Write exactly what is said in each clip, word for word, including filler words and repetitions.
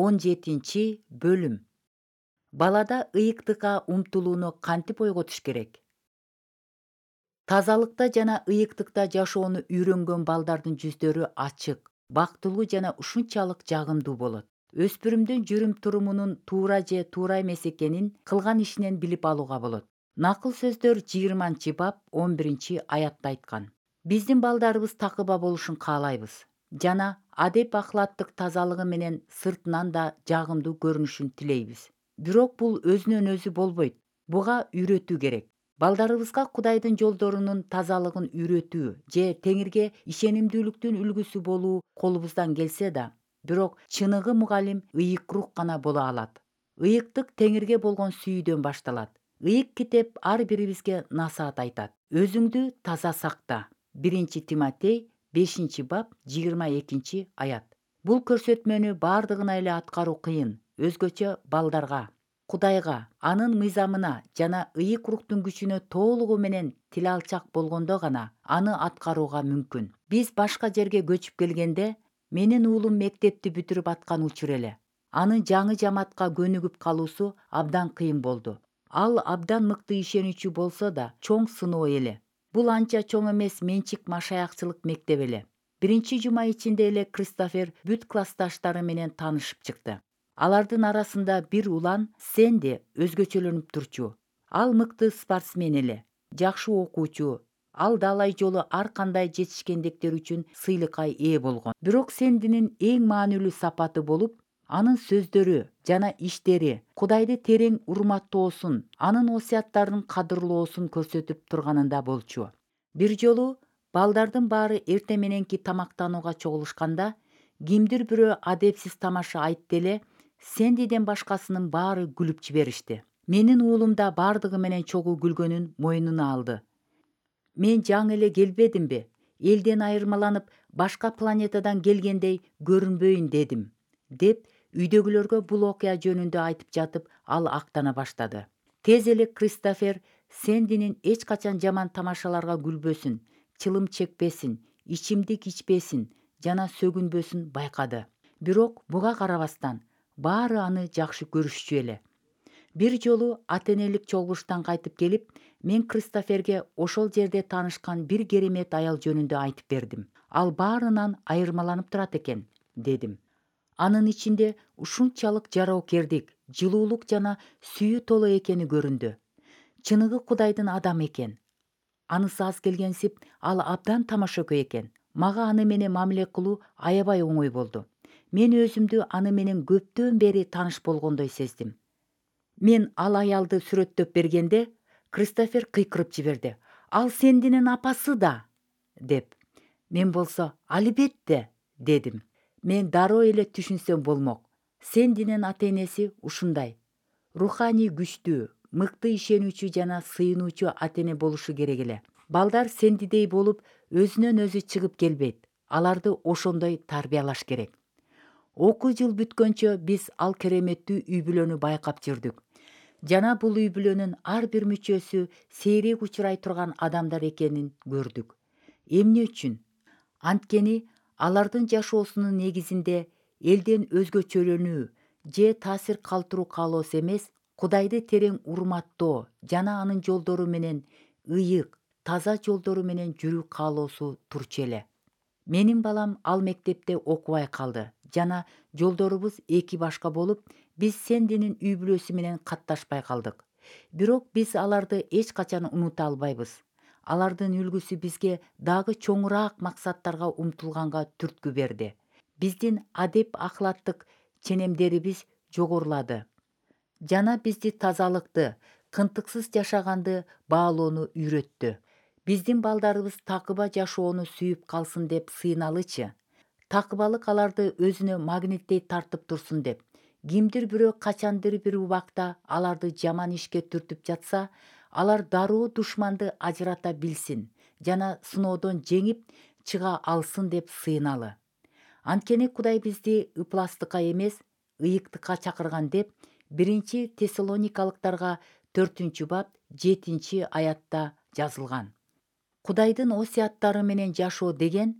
он жетинчи бөлүм. Балада ыйыктыкка умтулууну кантип ойготуш керек? Тазалыкта жана ыйыктыкта жашоону үйрөнгөн балдардын жүздөрү ачык, бактылуу жана ушунчалык жагымдуу болот. Өспүрүмдүн жүрүм-турумунун туура же туура эмес экенин кылган ишинен билип алууга болот. Накыл сөздөр жыйырманчы бап он биринчи аятта айткан. Биздин балдарыбыз такыба болушун каалайбыз жана адеп ахлаттык тазалыгы менен сыртынан да жагымдуу көрүнүшүн тилейбиз. Бирок бул өзүнөн өзү болбойт. Буга үйрөтүү керек. Балдарыбызга Кудайдын жолдорунун тазалыгын үйрөтүү же Теңирге ишенимдүүлүктүн үлгүсү болуу колубуздан келсе да, бирок чыныгы мугалим ыйык рух гана боло алат. Ыйыктык Теңирге болгон сүйүүдөн башталат. Ыйык китеп ар бирибизге насаат айтат. Өзүңдү таза сакта. биринчи Тимотей бешинчи бап жыйырма экинчи аят. Бул көрсөтмөнү бардыгына эле аткаруу кыйын, өзгөчө балдарга. Кудайга, анын мыйзамына жана ыйык рухтун күчүнө толугу менен тил алчак болгондо гана аны аткарууга мүмкүн. Биз башка жерге көчүп келгенде, менин уулум мектепти бүтүрүп аткан учур эле. Анын жаңы жамаатка көнүгүп калуусу абдан кыйын болду. Ал абдан мыкты ишенүүчү болсо да, чоң сыноо эле. Бул анча чоң эмес менчик машаякчылык мектеп эле. Биринчи жума ичинде эле Кристофер бүт классташтары менен таанышып чыкты. Алардын арасында бир улан Сэнди өзгөчөлөнүп турчу. Ал мыкты спортсмен эле, жакшы окуучу. Ал далай жолу ар кандай жетишкендиктер үчүн сыйлыкка ээ болгон. Бирок Сэндинин эң маанилүү сапаты болуп, анын сөздөрү жана иштери Кудайды терең урматтоосун, анын осуяттарын кадырлоосун көрсөтүп турганында болчу. Бир жолу балдардын баары эртең мененки тамактанууга чогулушканда, кимдир бирөө адепсиз тамаша айтты эле, Сэндиден башкасынын баары күлүп жиберишти. Менин уулум да бардыгы менен чогуу күлгөнүн мойнуна алды. Мен жаңы эле келбедимби? Элден айырмаланып, башка планетадан келгендей көрүнбөйүн дедим, деп үйдөгүлөргө бул окуя жөнүндө айтып жатып, ал актана баштады. Тез эле Кристофер Сэндинин эч качан жаман тамашаларга күлбөсүн, чылым чекпесин, ичимдик ичпесин жана сөгүнбөсүн байкады. Бирок буга карабастан, баары аны жакшы көрүшчү эле. Бир жолу ата-энелик чогулуштан кайтып келип, мен Кристоферге ошол жерде таанышкан бир керемет аял жөнүндө айтып бердим. Ал баарынан айырмаланып турат экен, дедим. Анын ичинде ушунчалык жароокердик, жылуулук жана сүйүү толо экени көрүндү. Чыныгы Кудайдын адамы экен. Анысы аз келгенсип, ал абдан тамашакөй экен. Мага аны менен мамиле кылуу аябай оңой болду. Мен өзүмдү аны менен көптөн бери тааныш болгондой сездим. Мен ал аялды сүрөттөп бергенде, Кристофер кыйкырып жиберди. Ал Сэндинин апасы да, деп. Мен болсо, албетте, дедим. Мен дароо эле түшүнсөм болмок. Сэндинин ата-энеси ушундай. Руханий күчтүү, мыкты ишенүүчү жана сыйынуучу ата-эне болушу керек эле. Балдар Сэндидей болуп, өзүнөн өзү чыгып келбейт. Аларды ошондой тарбиялаш керек. Окуу жыл бүткөнчө биз ал кереметтүү үй бүлөнү байкап жүрдүк. Жана бул үй бүлөнүн ар бир мүчөсү сейрек учурай турган адамдар экенин көрдүк. Эмне үчүн? Анткени алардын жашоосунун негизинде элден өзгөчөлөнүү же таасир калтыруу каалоосу эмес, Кудайды терең урматтоо жана анын жолдору менен ыйык, таза жолдору менен жүрүү каалоосу турчу эле. Менин балам ал мектепте окубай калды жана жолдорубуз эки башка болуп, биз Сэндинин үй бүлөсү менен катташпай калдык. Бирок биз аларды эч качан унута албайбыз. Алардын үлгүсү бизге дагы чоңураак максаттарга умтулганга түрткү берди. Биздин адеп ахлаттык ченемдерибиз жогорулады жана бизди тазалыкты, кынтыксыз жашаганды баалоону үйрөттү. Биздин балдарыбыз такыба жашоону сүйүп калсын деп сыйыналычы. Такыбалык аларды өзүнө магниттей тартып турсун деп. Кимдир бирөө качандыр бир убакта аларды жаман ишке түртүп жатса, алар дароо душманды ажырата билсин жана сыноодон жеңип чыга алсын деп сыйыналы. Анткени Кудай бизди ыпластыкка эмес, ыйыктыкка чакырган деп биринчи Тессалоникалыктарга төртүнчү бап жетинчи аятта жазылган. Кудайдын осуяттары менен жашоо деген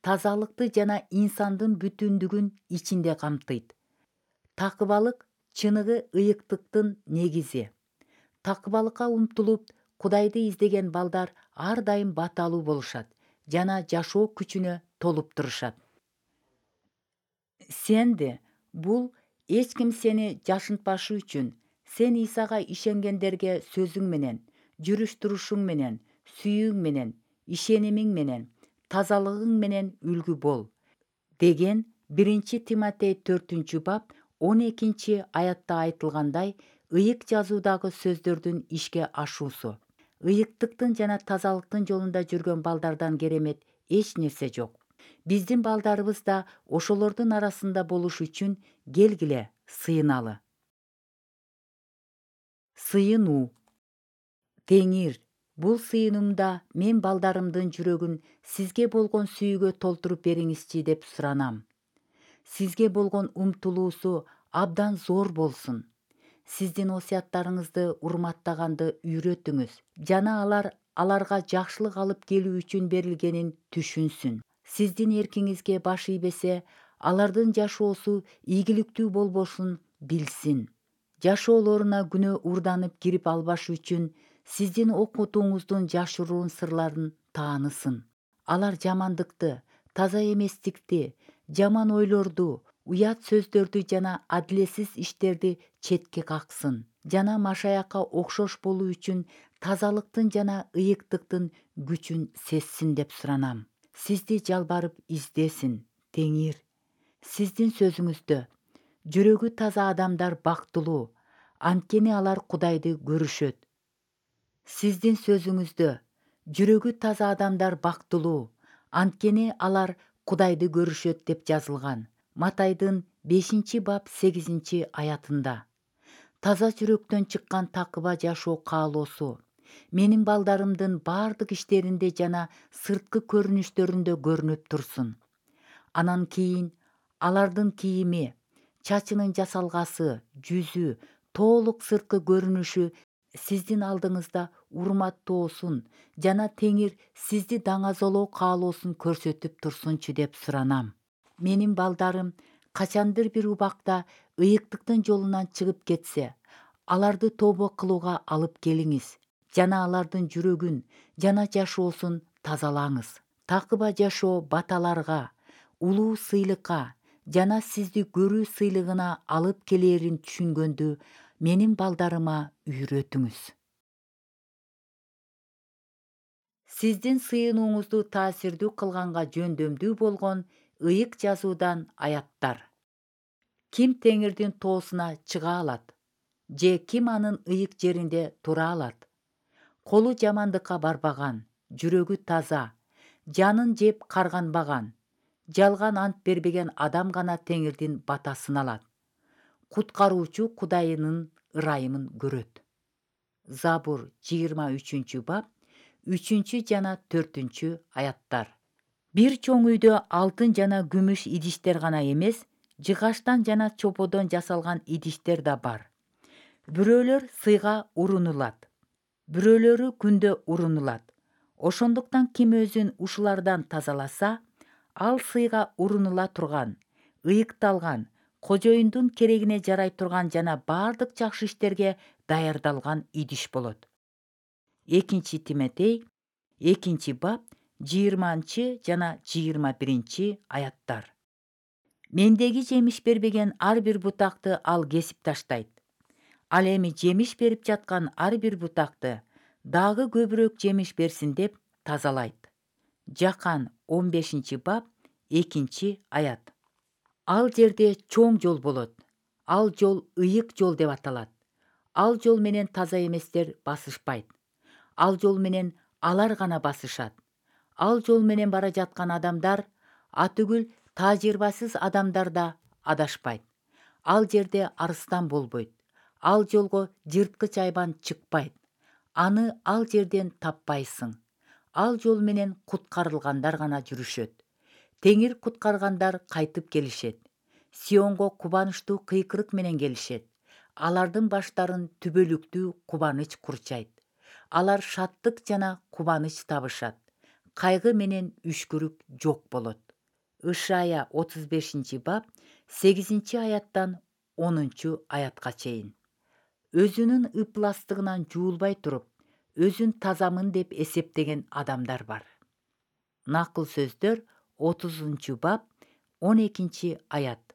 тазалыкты жана инсандын бүтүндүгүн ичинде камтыйт. Такыбалык чыныгы ыйыктыктын негизи. Такыбалыкка умтулуп Кудайды издеген балдар ар дайым баталуу болушат жана жашоо күчүнө толуп турушат. Сенди бул эч ким сени жашынтпашы үчүн сен Исага ишенгендерге сөзүң менен, жүрүш турушуң менен, сүйүүң менен, ишенимиң менен, тазалыгың менен үлгү бол деген биринчи Тиматей төртүнчү бап он экинчи аятта айтылгандай ыйык жазуудагы сөздөрдүн ишке ашуусу. Ыйыктыктын жана тазалыктын жолунда жүргөн балдардан керемет эч нерсе жок. Биздин балдарыбыз да ошолордун арасында болуш үчүн келгиле сыйыналы. Сыйынуу. Теңир, бул сыйынуумда мен балдарымдын жүрөгүн сизге болгон сүйүүгө толтуруп бериңизчи деп суранам. Сизге болгон умтулуусу абдан зор болсун. Сиздин осуяттарыңызды урматтаганды үйрөтүңүз жана алар аларга жакшылык алып келүү үчүн берилгенин түшүнсүн. Сиздин эркиңизге баш ийбесе, алардын жашоосу ийгиликтүү болбошун билсин. Жашоолоруна күнөө уурданып кирип албаш үчүн сиздин окутууңуздун жашыруун сырларын таанысын. Алар жамандыкты, таза эместикти, жаман ойлорду, уят сөздөрдү жана адилетсиз иштерди четке каксын жана машаякка окшош болуу үчүн тазалыктын жана ыйыктыктын күчүн сезсин деп суранам. Сизди жалбарып издесин, Теңир. Сиздин сөзүңүздө жүрөгү таза адамдар бактылуу, анткени алар Кудайды көрүшөт. Сиздин сөзүңүздө жүрөгү таза адамдар бактылуу, анткени алар Кудайды көрүшөт деп жазылган. Матайдын бешинчи бап сегизинчи аятында. Таза жүрөктөн чыккан такыба жашоо каалоосу менин балдарымдын бардык иштеринде жана сырткы көрүнүштөрүндө көрүнүп турсун. Анан кийин алардын кийими, чачынын жасалгасы, жүзү, толук сырткы көрүнүшү сиздин алдыңызда урматтоосун жана Теңир сизди даңазолоо каалоосун көрсөтүп турсунчу деп суранам. Менин балдарым качандыр бир убакта ыйыктыктын жолунан чыгып кетсе, аларды тобо кылууга алып келиңиз жана алардын жүрөгүн жана жашоосун тазалаңыз. Такыба жашоо баталарга, улуу сыйлыкка жана сизди көрүү сыйлыгына алып келээрин түшүнгөндү менин балдарыма үйрөтүңүз. Сиздин сыйынууңузду таасирдүү кылганга жөндөмдүү болгон ыйык жазуудан аяттар. Ким Теңирдин тоосуна чыга алат? Же ким анын ыйык жеринде тура алат? Колу жамандыкка барбаган, жүрөгү таза, жанын жеп карганбаган, жалган ант бербеген адам гана Теңирдин батасын алат. Куткаруучу Кудайынын ырайымын көрөт. Забур жыйырма үчүнчү бап үчүнчү жана төртүнчү аяттар. Бир чоң үйдө алтын жана күмүш идиштер гана эмес, жыгачтан жана чоподон жасалган идиштер да бар. Бирөөлөр сыйга урунулат, бирөөлөрү күндө урунулат. Ошондуктан ким өзүн ушулардан тазаласа, ал сыйга урунула турган, ыйыкталган, кожоюндун керегине жарай турган жана бардык жакшы иштерге даярдалган идиш болот. Экинчи Тиметей экинчи бап жыйырманчы жана жыйырма биринчи аяттар. Мендеги жемиш бербеген ар бир бутакты ал кесип таштайт. Ал эми жемиш берип жаткан ар бир бутакты дагы көбүрөөк жемиш берсин деп тазалайт. Жакан он бешинчи бап экинчи аят. Ал жерде чоң жол болот. Ал жол ыйык жол деп аталат. Ал жол менен таза эместер басышпайт. Ал жол менен алар гана басышат. Ал жол менен бара жаткан адамдар, атүгүл тажрыйбасыз адамдар да адашпайт. Ал жерде арыстан болбойт. Ал жолго жырткыч айбан чыкпайт. Аны ал жерден таппайсың. Ал жол менен куткарылгандар гана жүрүшөт. Теңир куткаргандар кайтып келишет. Сионго кубанычтуу кыйкырык менен келишет. Алардын баштарын түбөлүктүү кубаныч курчайт. Алар шаттык жана кубаныч табышат. Кайгы менен үшкүрүк жок болот. Ышая отуз бешинчи бап сегизинчи аяттан онунчу аятка чейин. Өзүнүн ыпластыгынан жуулбай туруп, өзүн тазамын деп эсептеген адамдар бар. Накыл сөздөр отузунчу бап он экинчи аят.